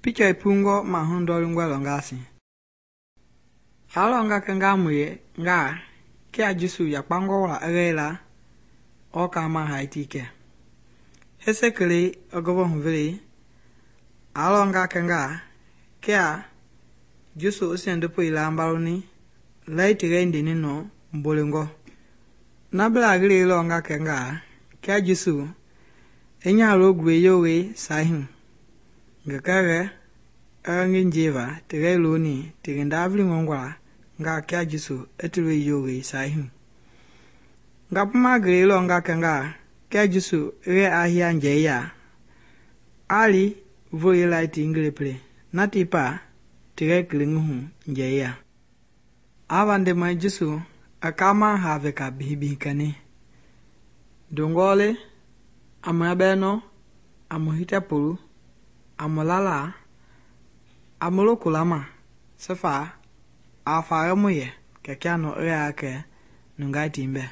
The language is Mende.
Picha ipungo mahu ndolingwa longasi. Alonga kenga muye nga kia Jesu yakpango wala egela oka ma haitike. Hesekele ogovo huvele alonga kenga kia Jesu usendupo ilambaloni laitige indini no mbolingo. Nabla gili longa kenga kia Jesu enya logwe yowe sahin. Ngekere ngin jeva tige loni tige ndavli ngongwa nga kia Jesu etulu yowe sahin. Ngapuma gili longa kenga kia Jesu re ahia njeya ali voye laiti ingleple natipa tige kilinguhu njeya. Avande ma Jesu akama have ka bihibihikani. Dongole amabeno amuhita pulu amulala amulokulama sefa afaremuye kekiano ake nungai timbe.